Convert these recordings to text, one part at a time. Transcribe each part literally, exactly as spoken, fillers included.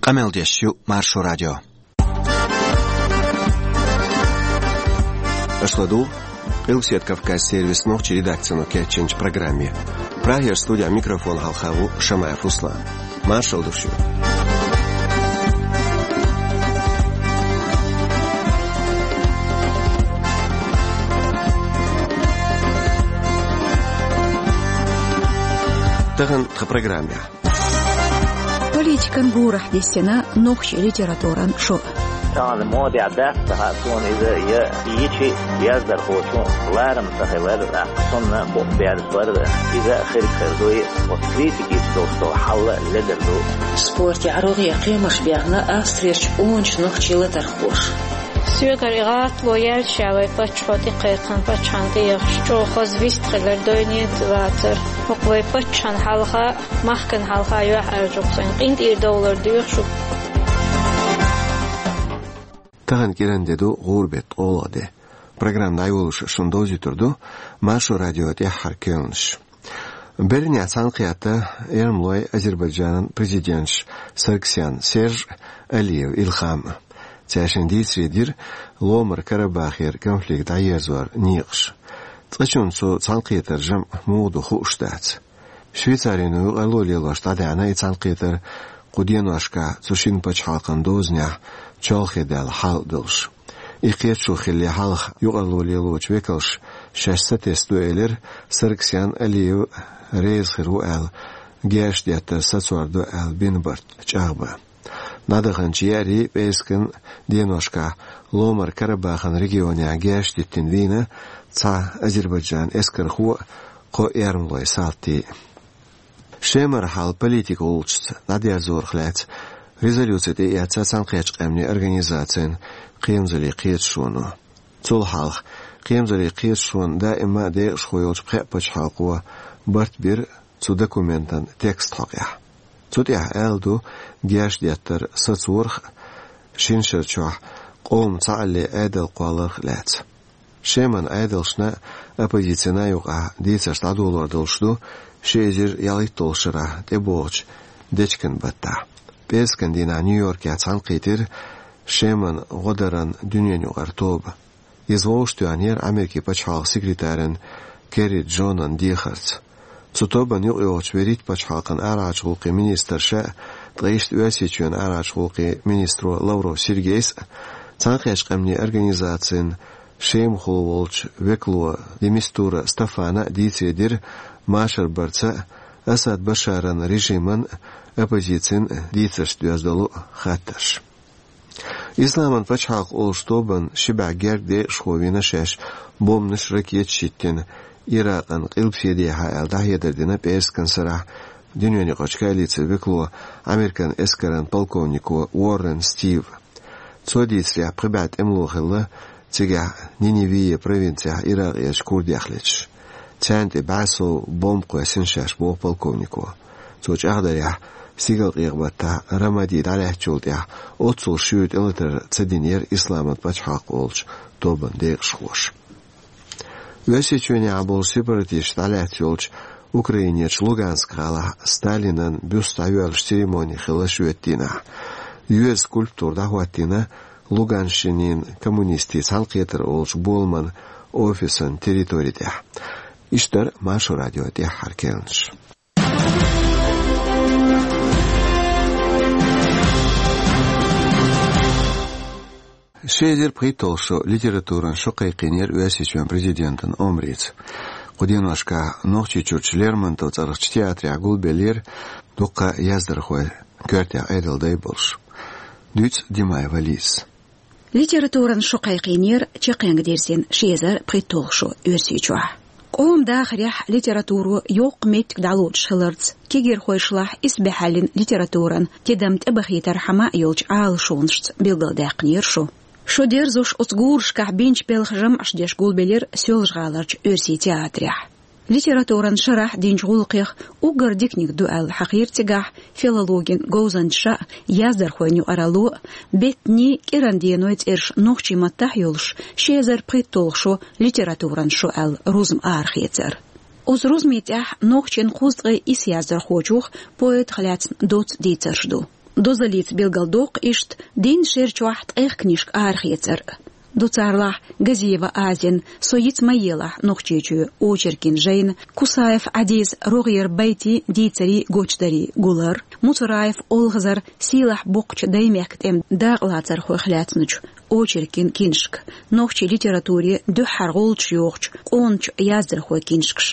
Къамел деш ю Маршо радио. Аша ладугӀу Къилбседа Кавказан сервисан нохчийн редакцино кечйинчу программе. Прагера студин микрофона хьалха ву Шамаев Руслан. Маршалла ду шуьга. Тахана тхан программехь. Политикан гурахь диссина нохчийн литературан шо. Тахана модехь дац, ца хаьа суна иза, я йичи яздархочун ларам ца хилар, тӀаккха цунна букъ берзабар, иза а хирг хир дуй, оцу критикашца долуш долу хьал а ледар ду. Спортехь рогӀера кхиамаш баьхна Австрерчу къоначу нохчийн латархоша. Соьгара и гӀатало яьлча вай паччахьо тӀекхайкхина паччахьна тӀеяхча, чӀогӀа хаза вист хилар, дойнен а вацара. ХӀокху вай паччахьна хьалха, махкана хьалха юьхьӀаьржа-кх сайна, къинтӀера довлар доьху шуьга. Тахана кӀиран де ду, гӀуран беттан ткъолгӀа де. Программа дӀайолош шуна довзуьйтур ду Маршо радион тӀаьххьара керланаш. Берринехь цхьаьнакхетта эрмалойн, Азербайджанан президенташ Саргсян Серж а, Алиев Илхам а. Цаьршинна дийцаре дира Ломара-Карабахера конфликт дӀаерзоран некъаш. Цкъачунна цу цхьаьнакхетаран жамӀ муха ду хууш дац. Швейцарино юкъарло лелош дӀадаьхьна и цхьаьнакхетар кху деношкахь цу шина пачхьалкхан дозанехь чолхе даьлла хьал а долуш. И кхеташо хиллале хьалха юкъарло лелочу векалша шаьш сатесна ду элира Саргсян а, Алиев а реза хир ву аьлла, герзаш деттар сацор ду аьлла бина барт чӀагӀбан. ДӀадаханчу еарин, пӀераскан деношкахь Ломара-Карабахеран регионехь герзаш диттина вийна цхьа Азербайджанан эскархо а, кхо эрмалойн салти а. Шемара хьал политикан гӀулчашца дӀадерзорах лаьцна резолюци тӀеэцна Цхьаьнакхеттачу Къаьмнийн Организацин кхерамзаллин кхеташоно. Цул хьалха кхерамзаллин кхеташонан даима декъашхо йолчу пхеа пачхьалкхо барт бира цу документан текст хьокъехь. Цу тӀехь аьлла ду герзаш деттар сацорах а, шина шарчохь къоман цхьааллин Ӏедал кхолларх а лаьцна. Шеман Ӏедалшна а, оппозицина а юкъахь дийцарш дӀадолор долуш ду ши эзар ялхитталгӀачу шарахь тӀебогӀучу дечкен баттахь. ПӀераскан дийнахь Нью-Йоркехь цхьаьнакхийтира Шеман гӀо даран дуьненаюкъара тоба. Иза вовшахтоьхнера Америкин пачхьалкхан секретаран Керри Джонан дехарца. Цу тобанна юкъайогӀучу вуьрхӀитта пачхьалкхан арахьарчу гӀуллакхийн министрша а, ткъа иштта Оьрсийчоьнан арахьарчу гӀуллакхийн министро Лавров Сергейс а, Цхьаьнакхеттачу Къаьмнийн Организацин Шемахула волчу векало де Мистура Стафана а дийцаре дира машар барца а, Асад Башаран режиман а, оппозицин а дийцаршца доьзна долу хаттарш. Исламан пачхьалкх олучу тобанна ши бӀе гергга декъашхо вина шаьш бомбанаш, ракеташ йиттина Иракъан къилбаседехьа аьлла дӀахьедар дина пӀераскан сарахь дуьненаюкъарчу коалицин векало, Американ эскаран полковнико Уоррен Стива. Цо дийцарехь, пхи бӀе тӀемало хилла цигахь Ниневия провинцехь Иракъерчу курдех леташ. Царна тӀе бӀе сов бомба кхоьссина шаьш, боху полковнико. Цо чӀагӀдарехь, стигалкъекъа баттахь Рамади дӀалаьцначул тӀаьхьа оццул шуьйра тӀелатар ца динера Исламан пачхьалкх олучу тобанан декъашхоша. Оьрсийчоьнехь болчу сепаратисташ дӀалаьцна йолчу Украинерчу Луганск гӀалахь Сталинан бюст дӀайоьллучу церемони хилла шоьтан дийнахь. Йоьзан скульптура дӀахӀоттийна Луганщинин коммунистийн цхьаьнакхетар олучу боламан офисан территори тӀехь. Иштта дара Маршо радион тӀаьххьара керланаш. Ши эзар пхийтталгӀа шо литературан шо кхайкхийнера Оьрсийчоьнан президентан омрица. Кху деношкахь Нохчийчуьрчу Лермонтов цӀарахчу театрехь гулбеллера дуккха а яздархой, коьртехь Ӏедалан дай болуш. Дуьйцу Димаева Лизас. Литературан шо кхайкхийнера чаккхенгдерзина ши эзар пхийтталгӀа шо Оьрсийчохь. Къоман дахарехь литературо йоккха меттиг дӀалоцуш хиларца, кегийрхойшлахь исбаьхьаллин литературан тидам тӀебахийтархьама йолчу Ӏалашонашца билгалдаьккхинера шо. Шо дерзош оцу гурашкахь бинчу белхан жамӀаш деш гулбелира Соьлжа-ГӀаларчу Оьрсийн театрехь. Литературан шарахь динчу гӀуллакхех уггар диканиг ду аьлла хьахийра цигахь филологин говзанчаша а, яздархойн юкъаралло а, беттанийн, кӀиран деной цӀераш нохчийн маттахь а йолуш, ши эзар пхийтталгӀа шо литературан шо аьлла рузма арахецар. Оцу рузмийн тӀехь нохчийн кхузткъе исс яздархочух, поэтах лаьцна доцца дийцарш ду. Дозаллица билгалдоккху иштта дийнна шера чохь ткъех книжка арахецар. Ду царлахь Газиева Азин «Со йиц ма елахь» нохчийчоь очеркийн жайна, Кусаев Ӏадиса «РогӀера байтийн, дийцарийн, гочдарийн» гулар, Муцураев Олхазар «Сийлахь боккхачу даймехкан тӀеман дакъалацархойх» лаьцначу очеркийн книжка, нохчийн литературе дуьххьара гӀулч йохучу къоначу яздархойн книжкаш.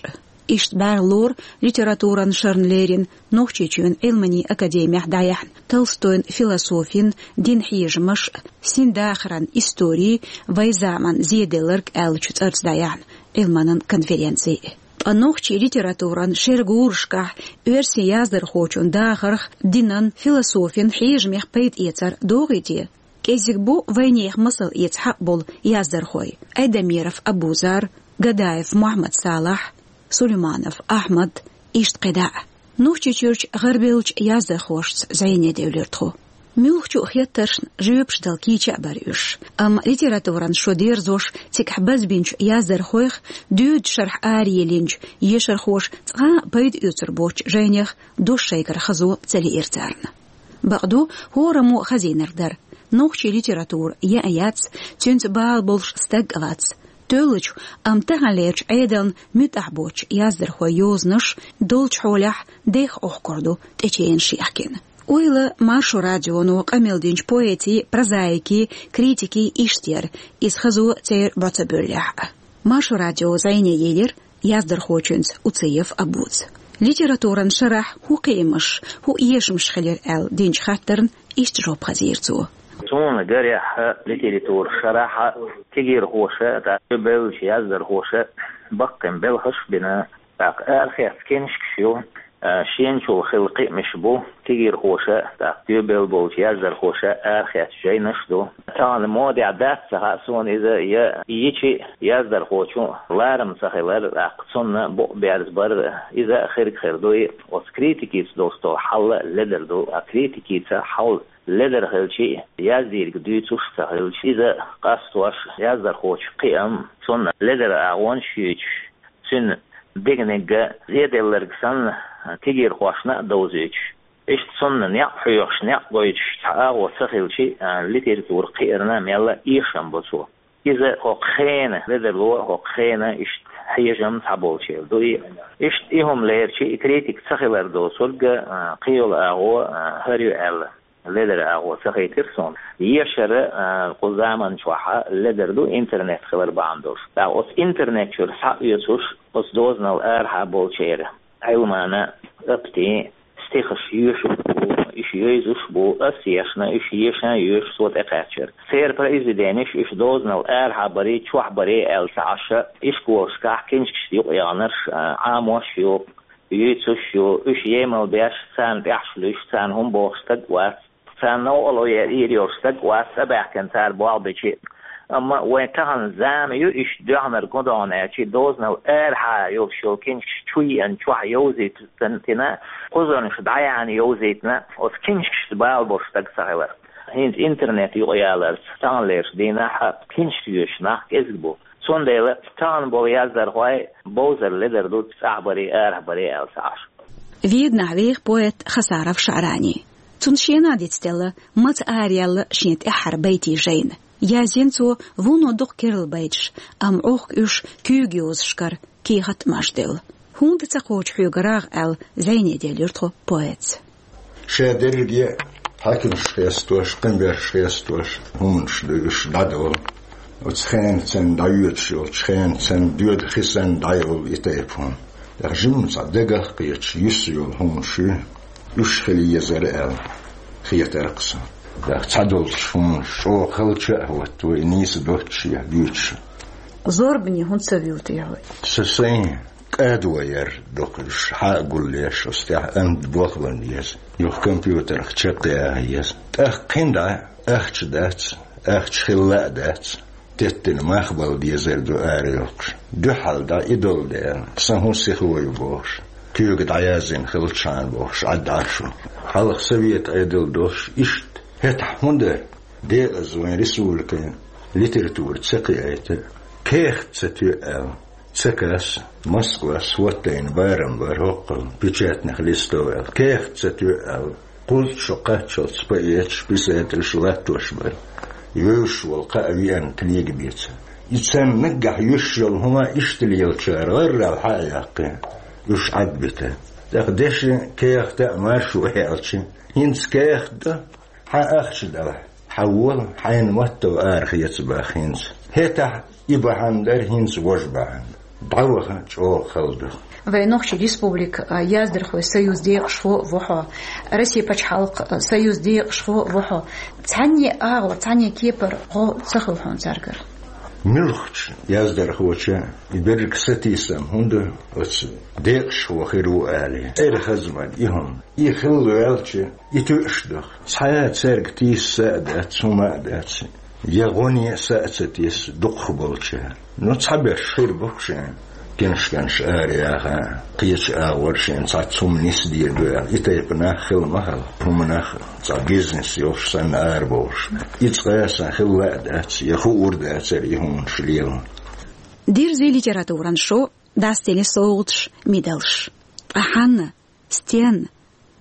Иштта бӀаьрла лору литературан шарна лерина Нохчийчоьнан Ӏилманийн академехь дӀаяьхьна «Толстойн философин, динан хьежамаш, синдахаран истори, вайн заманан зеделларг» аьллачу цӀарца дӀаяьхьна Ӏилманан конференци. Ткъа нохчийн литературан шеран гурашкахь оьрсийн яздархочун дахарх, динан, философин хьежамех пайда эцар догӀий те? КӀезиг бу вайнехан масал эца хьакъ болу яздархой: Айдамиров Абузар, Гадаев Мухьаммад-Салахь, Сулейманов Ахьмад, иштта кхидӀа а. Нохчийчуьрчу гӀарабевллачу яздархошца зӀене девлира тхо. Муьлххачу а хеттаршна жоьпаш дала кийча а бара уьш, амма литературан шо дерзош, цигахь базбинчу яздархойх, доьдучу шарахь араеллинчу ешархоша цкъа а пайда оьцур боцучу жайнех дош шайгара хазо ца лиира царна. Бакъду, хӀораммо хазийнарг дара: нохчийн литература яа яц, цуьнца бала болуш стаг а вац. Тоьллачу, амма таханлерчу Ӏедална муьтӀахь боцучу яздархойн йозанаш долчу хьолехь дехха Ӏохкур ду тӀеченаш яхкина. Ойла Маршо радионо къамел динчу поэтийн, прозаикийн, критикийн иштта яра, иза хазо церан бӀо ца бевллехь а. Маршо радио зӀене елира яздархочуьнца Уциев Абуза. Литературан шарахь хӀун кхиамаш, хӀун эшамаш хилира аьлла динчу хаттарна иштта жоп хазийра цо. Суна гарехь, литературан шарахь кегийрхоша, тӀаккха бевллачу яздархоша баккхий белхаш а бина, тӀаккха арахецна книжкаш ю, а, шенчул хилла кхиамаш бу, кегийрхоша, тӀаккха тоьбелла болчу яздархоша арахецна жайнаш а ду. Тахана модехь дац ца хаьа суна иза, я йича яздархочун ларам ца хилар, тӀаккха цунна букъ берзабар, иза а хирг хир ду и. Оцу критикица долуш долу хьал а ледар ду, а критикица хьал ледар хилча а, яздийриг дуьйцуш а ца хилча, иза къастош, яздархочун кхиам, цунна ледара агӀонаш а юьйцуш, цуьнан дегниг а зеделларг санна, кегийрхошна а довзуьйтуш, иштта цунна некъ хьоьхуш, некъ гойтуш цхьа агӀо ца хилча а, литература кхиарна мелла а эшам бо цо. Иза хӀокху хенан ледарло, хӀокху хенан иштта хьежам цхьаболчеран ду и. Иштта и хӀума лерча а, и критика ца хилар доцург а, кхин йолу агӀо а хӀара ю аьлла, ледара агӀо ца хийтира суна. Ешар а, кху заман чохь а ледар ду интернет хилар бахьана долуш. ТӀаккха оцу интернет чуьра схьаоьцуш, оцу дозанал арахьа болчеран Ӏилманан, Аптин стихаш йоьшуш бу, уьш йовзуш бу, ас ешна, уьш ешан йоьшу со тӀекхаьчнера. Церан произведенеш уьш дозанал арахьа барий, чохь барий аьлла ца Ӏаш, ишколашкахь книжкашна юкъаягӀнарш а, Ӏамош а ю, юьйцуш а ю, уьш емал беш, царна тӀаьхьаш луьйш, царна хӀума бохуш стаг а вац. Царна новкъарло ян ийр йолуш стаг а вац, цӀа баьхкина цара болх бича а. Амма вайн тахана зама ю, иштта доьхнарг хӀун ду аьлча, дозанал арахьа йолуш йолу книжкаш чу йиъна, чохь йовзийтина, кхузарнаш дӀаяьхьна йовзийтина, оцу книжкашца бала болуш стаг ца хилар. ХӀинца интернет юкъаяларца, таханлерчу дийнахь а книжка йоьшуш нах кӀезиг бу. Цундела тахана болу яздархой бовзар ледар ду, цӀахь барий, арахь барий аьлла ца Ӏаш. Веданахь веха поэт Хасаров ШаӀрани. Цунна шена а дицделла, маца араяьлла шен тӀаьххьара байтийн жайна. Яздина цо вуно дукха керла байташ, амма Ӏохку уьш куьйга йозашкара кехат а маж девлла. «ХӀунда ца кхочу хьоьга рагӀ?» аьлла, зӀене делира тхо поэтца. Ша дерриге а хьаькамаш хестош, къинберш хестош, хӀуманаш ду уьш дӀадолу. Оцу хенацан дӀайоьдуш йолчу хенацан доьду хи санна дӀайолу и тайпа хӀума. ТӀаккха жимма цхьа дагах а кхеташ, юьсса йолу хӀуманаш ю, уьш хила езара аьлла, хетара-кх сан. ТӀаккха цхьадолчу хӀуманаш чӀогӀа халча а хӀотто, и нийса доццуш я дуьйцуш. Зорбане хӀунда ца вуьйту хьо? Со сайн кӀадо яр доккхуш, хьа а гулъеш, оцу тӀехь амда бохлан еза. Юха компьютерах чекхъяха еза. ТӀаккха кхин дӀа ахча дац, ахча хилла а дац. Теттина мах бала дезар ду ара йоккхуш. Дуьхьал дӀа и долу дела, сан хӀун сихо ю бохуш. Куьйга дӀаяздина хилчхьана бохуш, Ӏад Ӏаш ву. Хьалха совет Ӏедал долуш иштта. ХӀетахь хӀун дара? Декъаза вайн республикан литература ца кхиайта, кехат ца тоьу аьлла. Ца каса, Москвас хӀоттайна барам бара хӀокхул печатных листов аьлла. Кехат ца тоьу аьлла. Кхузткъа шо кхаччалц поэташ, писателаш латтош бара. Вевзаш вола кхаъ веана книга беца. И царна наггахь юьсуш йолу хӀума иштта лелачара гӀаррал хьа а яьккхи, уьш Ӏадбита. ТӀаккха деши, кехата а маршо хьаьлча, хӀинца кехат ду, хьан ахча далахь, хьан вола, хьайна маттал арахеца баха хӀинца. ХӀетахь и бахьана дара, хӀинца важа бахьана. ДӀаваха чӀогӀа хала ду. Вайн нохчийн республика, а, яздархойн союзан декъашхо а ву хьо, Россин пачхьалкхан, а, союзан декъашхо а ву хьо. Цхьанне агӀор, цхьанне кепара гӀо ца хуьлу хьуна цаьргара? Муьлххачу яздархочун и берриг сатийсам хӀунда оцу декъашхо хир ву алий? Церан хаза ма ду и хӀума. И хилла ваьлча, и тоьаш ду-кх. Цхьа а цаьрга тийса са а дац, хӀума а дац. Я гӀо а, са а ца тесна дукхахболчара. Ну, цхьаберш хир бу-кх шен, книжкаш араяха, кхечу агӀор шен цхьацца хӀума нисделла ду аьлла. И тайпа нах хила ма хилла. ХӀуманах цхьа бизнес йолуш санна арабовлуш. И цкъа а сан хилла а дац, я хуур дацара и хӀуманаш лела. Дирзин литературан шо, дӀасадели совгӀаташ, медалш. Ткъа хьанна, стенна,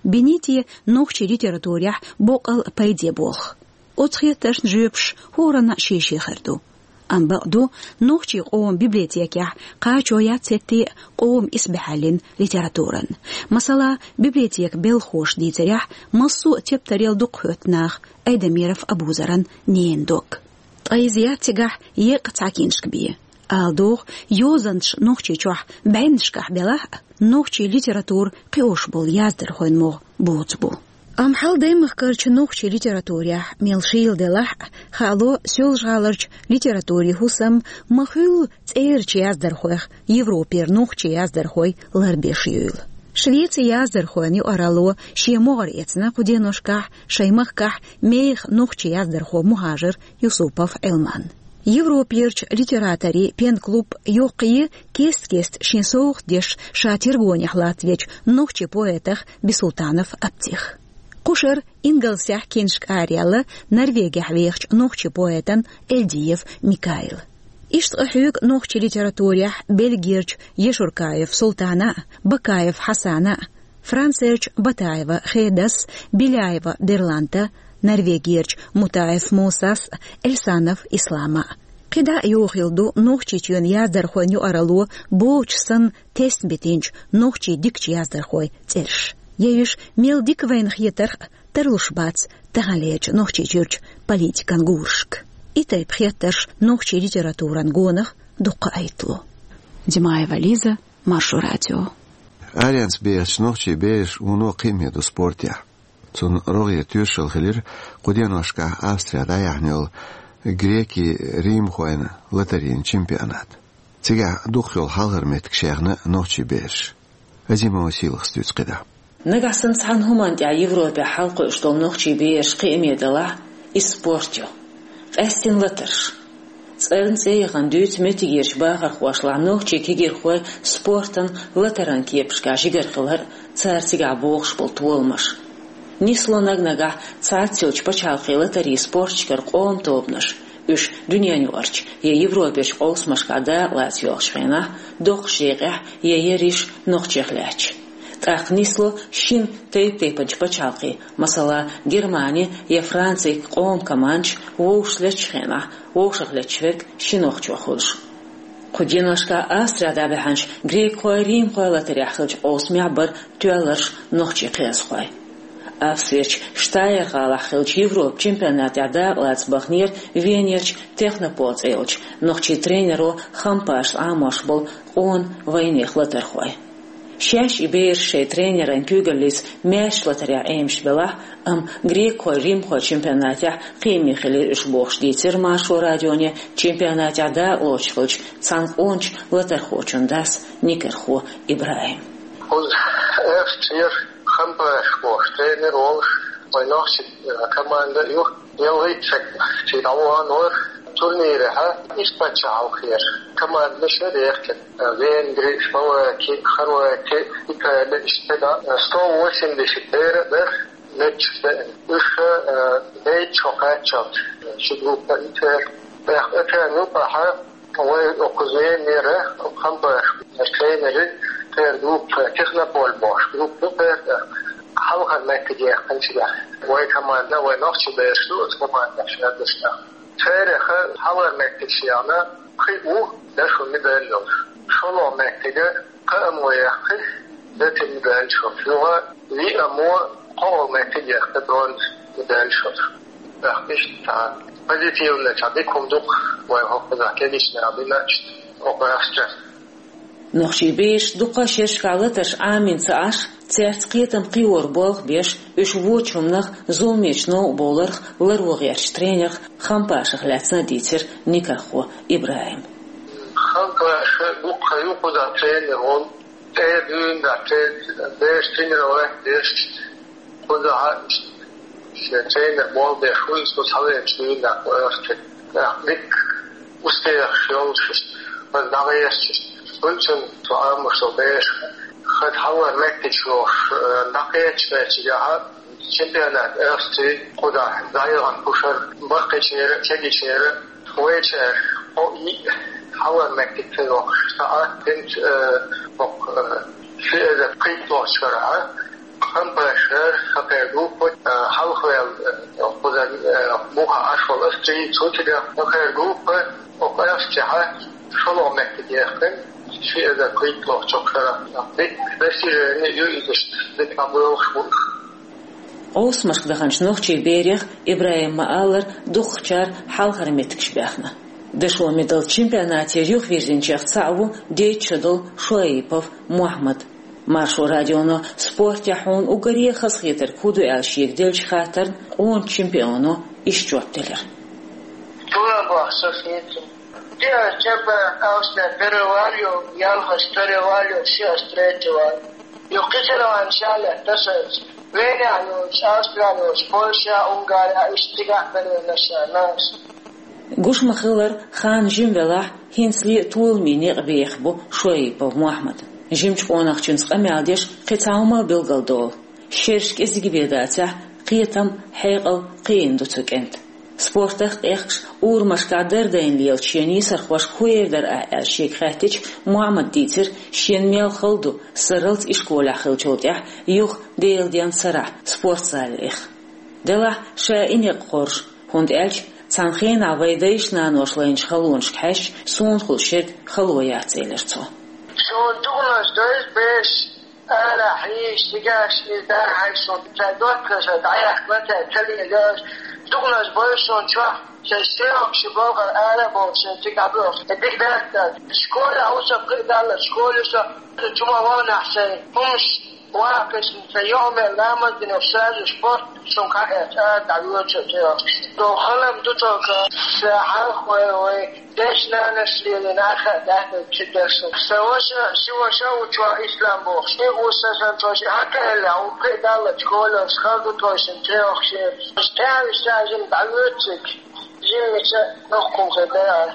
бинийти нохчийн литературехь боккъал пайде болх? Оцу хеттаршна жоьпаш хӀоранна а шен-шен хир ду. Амма бакъ ду, нохчийн къоман библиотекехь кхачо яц хӀетте а къоман исбаьхьаллин литературан. Масала, библиотекан белхахоша дийцарехь, массо а тептарел дукха хӀоьтту наха Айдамиров Абузаран ненан дог. Ткъа иза яц цигахь еккъа цхьа книжка бен. Ала догӀу, йозанаш Нохчийчохь бӀеннашкахь белахь а, нохчийн литература кхиош болу яздархойн могӀа боцу бу. Амма хьал даймахкарчу нохчийн литературехь мел шийла делахь а, хаало Соьлжа-ГӀаларчу литературин хӀусам ма-хуьллу цӀерачу яздархойх Европера нохчийн яздархой ларбеш юйла. Швецин яздархойн юкъаралло шен могӀаре эцна кху деношкахь шайн махкахь мехах нохчийн яздархо мухӀажар Юсупов Ӏилман. Европерчу литераторийн пен-клуб йоккхае кест-кеста шен совгӀат деш ша тергонехь латтавечу нохчийн поэтах Бисултанов Аптих. Кху шарахь ингалсехь книжка араяьлла Норвегехь вехачу нохчийн поэтан Эльдиев Микаила. Иштта къахьоьгу нохчийн литературехь Бельгерчу Ешуркаев Султана а, Бакаев Хьасана а, Францерчу Батаева Хедас, Беляева Берланта, Норвегерчу Мутаев Мусас, Эльсанов Ислама. КхидӀа а йохийла ду Нохчийчоьнан яздархойн юкъаралло бохучу санна тесна битинчу нохчийн дикачу яздархойн цӀераш. Я уьш мел дика вайна хетарх а, тарлуш бац таханлерчу Нохчийчуьрчу политикан гурашка. И тайпа хеттарш нохчийн литературан гонах дуккха а хӀиттало. Димаева Лиза, Маршо радио. Аренца бехачу нохчийн бераш вуно кхиаме ду спортехь. Цунна рогӀера тоьшалла хилира кху деношкахь Австрехь дӀаяьхьна йолу грекийн римхойн латарийн чемпионат. Цигахь дукхах йолу хьалхара меттиг шаьхна нохчийн бераша. Азимова Сийлахас дуьйцу кхидӀа. Нагахь санна цхьана хӀуманна тӀехь Европехь хьалакхуьуш долу нохчийн бераш кхиаме далахь, иза спорт ю. Къаьсттина латарш. ЦӀарна цӀе яхана дуьйцу меттигерчу бахархошлахь нохчийн кегийрхой спортан, латаран кепашкахь жигара хилар а, цара цигахь богӀуш болу толамаш. Нисло наг-нагахь цхьацца йолчу пачхьалкхийн латарийн спорташкара къоман тобанаш, уьш дуьненаюкъарчу я Европерчу къовсамашкахь дакъалаца йоьлхучу хенахь, доккхачу декъехь я ерриш нохчех лаьтташ. ТӀаккха нисло шина тайп-тайпанчу пачхьалкхийн, масала, Германи я Францин къоман командаш вовшахлеттачу хенахь, вовшахлетташ верг ши нохчо хуьлуш. Кху деношкахь Австрехь дӀабаьхьначу грекхойн, римхойн латарехь хиллачу къовсамехь бара тоьлларш нохчийн кхиазхой. Австрерчу Штайр-гӀалахь хиллачу Европан чемпионатехь дакъалаца баханера Венерчу Технопол цӀе йолчу нохчийн тренеро Хампашас Ӏамош болу къона вайнехан латархой. Шаьш и бераш шайн тренеран куьйгаллица маьршачу латарехь Ӏемаш белахь а, амма грекхойн, римхойн чемпионатехь кхиаме хилира уьш бохуш дийцира Маршо радионе чемпионатехь дакъалоцуш хиллачу цхьана къоначу латархочун дас Никархо ИбрахӀим. Кхуза Австрера Хампаш бохуш тренер волуш, вайн нохчийн, э, команда а ю. Ялхитта саг цигахь дӀавахана вара турнирехь, иштта пачхьалкхера командаш яра яхкина. Венгри, Словаки, Хорвати, Итали, иштта да, сто восемьдесят бер а дара, меттигаш деана. Уьш, э, дейтта шо кхаччалц ши группа итера. ТӀаккха оцарна юкъахь вай окхуза Венера, Хампаш тренери, церан группа, Технополь бохуш группа ю церан тӀаккха. Хьалхара меттиг яьккхинчигахь вай команда, вай нохчий бераш ду оцу командехь шаьрдашна. Церах хьалхара меттиг шена кхин а ву дашо медаль йолуш. ШолгӀа меттиг кхаамо яьккхи, золотий медаль йолуш. Юха виамо кхоалгӀа меттиг яьккхи, бронза медаль йолуш. ТӀаккха иштта цхьа позитивный, цхьа дика хӀума ду-кх вайн хӀокхузахь кегийчара динарг иштта хӀокху Австрехь. Нохчий бераш дукха шерашкахь латарш Ӏамийна ца Ӏаш, цаьрца кхетам кхиоран болх беш, уьш вочу хӀуманах, зуламечу новкъа бовларх ларво гӀертачу тренерх Хампашах лаьцна а дийцира никаххо ИбрахӀима. Хампаша дуккха ю кхузахь тренер волу, тӀе а дуьйна дац, бераш тренировать деш, кхузахь а шен тренер болх беш ву, иза кху схьавеанчу дуьйна дац, кху Австрехь. ТӀаккха дика успехаш йолуш, хаза дӀагӀерташ, хӀунда аьлча цу Ӏамош долу бераш хаза хьалхара меттиг йолуш, э, дӀакхеташ хилча, чемпионат Австрии кхузахь дӀаяхана кхушара баккхийчеран а, кегийчеран а, вайчара кхо-йиъ хьалхара меттиг ца йоккхуш, сан а, хӀинца, э, хӀокху, э, ши эзар кхийтталгӀачу шарахь Хампашера, хӀокхеран группа, э, хьалхаваьлла, э, кхузара, э, муха Ӏаш волу Австрия, цу тӀехь хӀокхеран группа, хӀокху Австрехь шолгӀа меттиг яьккхина, ши эзар кхийтталгӀачу шарахь. Дика достижени ю иза, дика дӀабоьлхуш бу уьш. Къовсамашка даханчу нохчий берех, ИбрахӀима ма-аллара, дукхахчара хьалхара меттигаш баьхна. Дашо медаль чемпионатера юхавирзинчех цхьаъ ву дейтта шо долу Шоипов Мохьмад. Маршо радионо спортехь хьуна уггаре а хазахетарг хӀун ду аьлла шега деллачу хаттарна къоначу чемпионо иштта жоп делира. Туран боху со хетарг. Первый чемпионат Австрии первый валю, ялхалгӀа второй валю, шиъ третий валю. Юха кхин а ван шалет тасалц. Венехь йолуш, Австрия йолуш, Польша, Унгария, иштта цигахь белла наш, наш. Гуш ма-хиллара, хан жима велахь, хӀинцале а толамийн некъ бехаш бу Шоипов Мохьмад. Жимачу къонахчуьнца къамел деш кхин цхьа хӀума а билгалдолу. Шераш кӀезиг бен дацахь, кхетам, хьекъал кхиийна ду цу кӀентан. Спортах къехкаш, урамашкахь дардарна лелачу шен йисархошка хӀун эр дара ахь аьлла шега хаьттича, Мохьмада дийцира, шена мел хала ду, сарралц ишколехь хиллачул тӀаьхьа юха Делан денна сарахь спортзалехь. Делахь ша и некъ хоржу, хӀунда аьлча цхьана хенахь вайн дайша-наноша лайначу халонашка хьаьжча, суна хуьлуш ерг хало яц, элира цо. Суна дукханаш дойза беш, ара хьийзаш, цигахь иза дӀахьаьжча, суна цара доттагӀаша дӀаяхка ца лелаш, дукханаш бойза суна чохь, шайн стрелкаш болхар ара а бохуш, шайн цига дӀабоьлхуш. Дика дац аса. Школехь ву со, кхин а далла школе со, чу ма вахнахь сайн хӀумаш ваккхаш, сайн юкъамел ламаз дина, сразу спорт суна кхаьчча, ара дӀавоьду со цӀе. Со хала ма ду цо, сан хьалха вай, вай дайша-наноша лелийна, ахь а даьхна ца деш суна. Сан ваша, ши ваша ву чохь Ислам бохуш. И ву сан, сан цо ши хьакхаьлла, ву кхин а далла школе, хала ду тхойшинна цӀе йохуш. ТӀаьхьа виссача жима дӀавоьду цига. Жимма мича доккхун хир дара.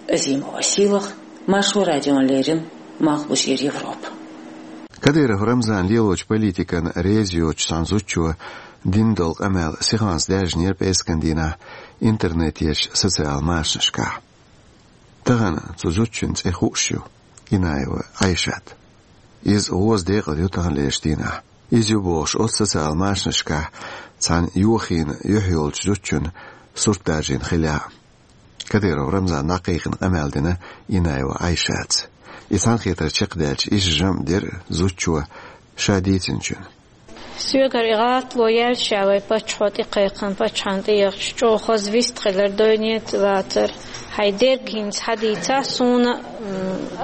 Азимова Сийлаха, Маршо радиона леррина, Малхбузера Европа. Кадыров Рамзан лелочу политикана реза йоцучу цхьана зудчо дина долу къамел сихонца даьржинера пӀераскан дийнахь интернетерчу социал машанашкахь. Тахана цу зудчун цӀе хууш ю, Инаева Айшат. Иза гӀоза декъала ю таханлерчу дийнахь. Иза ю бохуш оцу социал машанашкахь цхьана йохийна юьхь йолчу зудчун сурт даржийна хиллехь а. Кадыров Рамзана дӀакхайкхина къамел дина Инаева Айшатца. И цхьаьнакхетар чекхдаьлча, иза жамӀ дира зудчо ша дийцинчун. Соьгара и гӀалатло яьлча, ша вай паччахьо тӀекхайкхина, паччахьна тӀеяхча, чӀогӀа хаза вистхилар, дойнет лацар. Хьайн дерг хӀинца хьадийцахь суна, м,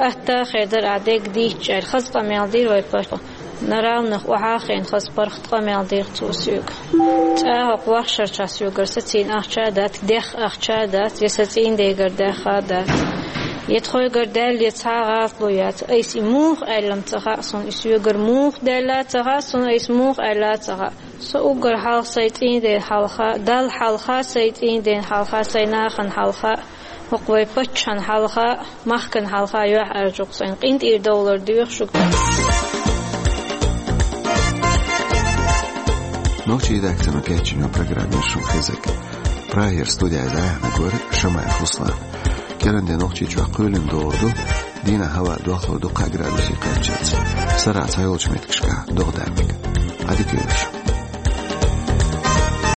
атта а хир дара ахь дерг дийцча аьлла, хаза къамел дира вай паччахьо. На равных охьа а хиъна, хаза паргӀат къамел дира цо соьга. ЦӀа хӀокху вахшарчохь соьгара сацийна ахча а дац, дехха ахча а дац, я сан цӀийнан дегара даьхна а дац. Я тхойгара даьлла, я цхьа а гӀалатло яц. Айса и муха аьлла-м ца хаьа суна, и соьгара муха даьлла а ца хаьа суна, айса муха аьлла а ца хаьа. Со уггар хьалха сайн цӀийнан ден хьалха, Далла хьалха, сайн цӀийнан ден хьалха, сайн нахана хьалха, хӀокху вай паччахьна хьалха, махкана хьалха юьхьӀаьржа ю-кх сайна. КъинтӀера довлар доьху шуьга. Нохчийн редакцино кечйина программа яра шуна хезарг. Прагера студехь иза айхьаниг вара Шамаев Руслан. КӀиранде Нохчийчохь кхоьлина догӀур ду Дийнахьа хӀаваъ дохлур ду кхо градусе кхаччалца. Сарахь цхьайолчу меттигашкахь догӀа даккхиг. Ӏадика йойла шун.